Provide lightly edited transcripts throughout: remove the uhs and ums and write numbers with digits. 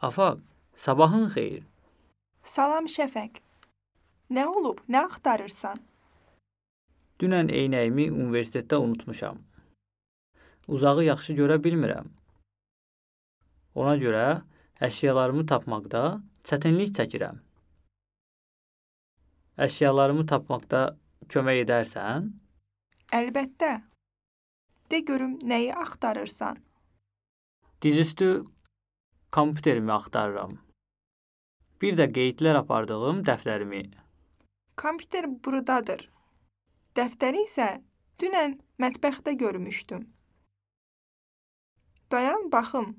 Afaq, sabahın xeyir. Salam Şəfəq. Nə olub? Nə axtarırsan? Dünən eynəyimi universitetdə unutmuşam. Uzağı yaxşı görə bilmirəm. Ona görə əşyalarımı tapmaqda çətinlik çəkirəm. Əşyalarımı tapmaqda kömək edərsən? Əlbəttə. De görüm nəyi axtarırsan? Dizüstü kompüterimi axtarıram. Bir də qeydlər apardığım dəftərimi. Kompüter buradadır. Dəftəri isə dünən mətbəxdə görmüşdüm. Dayan baxım.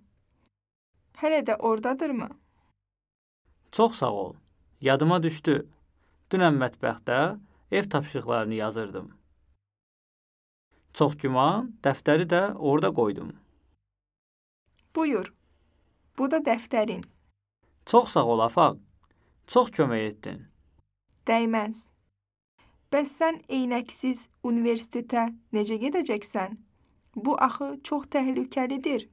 Hələ də ordadırmı? Çox sağ ol. Yadıma düşdü. Dünən mətbəxdə ev tapşırıqlarını yazırdım. Çox güman, dəftəri də orada qoydum. Buyur. Bu da dəftərin. Çox sağ ol, Afaq. Çox kömək etdin. Dəyməz. Bəs sən eynəksiz universitetə necə gedəcəksən? Bu axı çox təhlükəlidir.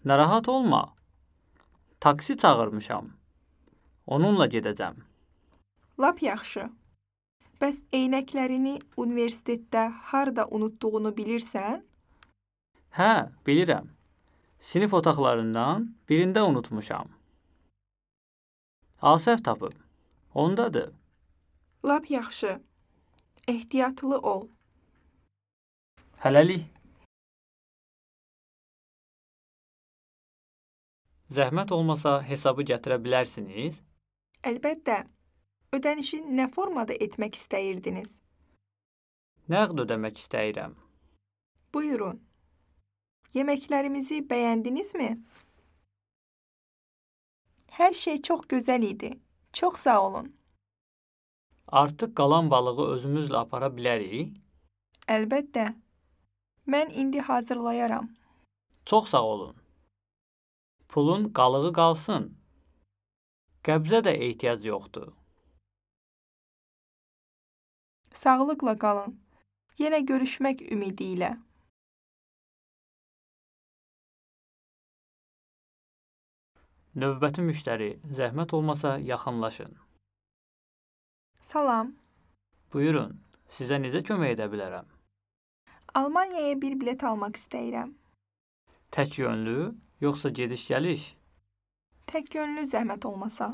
Narahat olma. Taksi çağırmışam. Onunla gedəcəm. Lap yaxşı. Bəs eynəklərini universitetdə harda unutduğunu bilirsən? Hə, bilirəm. Sinif otaqlarından birində unutmuşam. Asəf tapıb. Ondadır. Lap yaxşı. Ehtiyatlı ol. Hələlik. Zəhmət olmasa hesabı gətirə bilərsiniz? Əlbəttə. Ödənişi nə formada etmək istəyirdiniz? Nəqd ödəmək istəyirəm. Buyurun. Yeməklərimizi bəyəndinizmi? Hər şey çox gözəl idi. Çox sağ olun. Artıq qalan balığı özümüzlə apara bilərik? Əlbəttə. Mən indi hazırlayaram. Çox sağ olun. Pulun qalığı qalsın. Qəbzə də ehtiyac yoxdur. Sağlıqla qalın. Yenə görüşmək ümidi ilə. Növbəti müştəri, zəhmət olmasa yaxınlaşın. Salam. Buyurun, sizə necə kömək edə bilərəm? Almaniyaya bir bilet almaq istəyirəm. Tək yönlü, yoxsa gediş-gəliş? Tək yönlü zəhmət olmasa.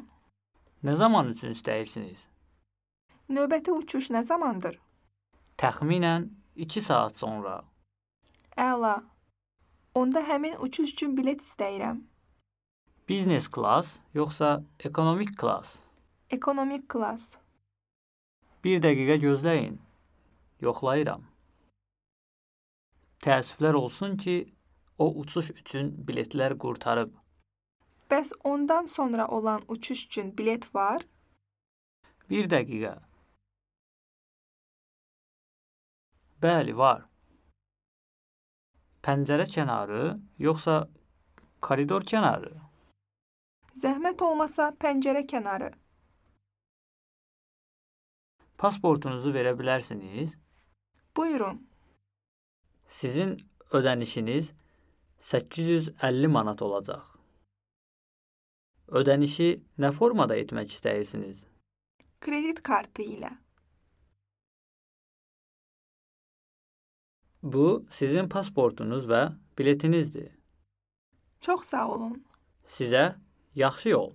Nə zaman üçün istəyirsiniz? Növbəti uçuş nə zamandır? Təxminən 2 saat sonra. Əla. Onda həmin uçuş üçün bilet istəyirəm. Biznes klass, yoxsa ekonomik klass? Ekonomik klass. 1 dəqiqə gözləyin. Yoxlayıram. Təəssüflər olsun ki, o uçuş üçün biletlər qurtarıb. Bəs ondan sonra olan uçuş üçün bilet var? 1 dəqiqə. Bəli, var. Pəncərə kənarı, yoxsa koridor kənarı? Zəhmət olmasa pəncərə kənarı. Pasportunuzu verə bilərsiniz? Buyurun. Sizin ödənişiniz 850 manat olacaq. Ödənişi nə formada etmək istəyirsiniz? Kredit kartı ilə. Bu, sizin pasportunuz və biletinizdir. Çox sağ olun. Sizə yaxşı yol.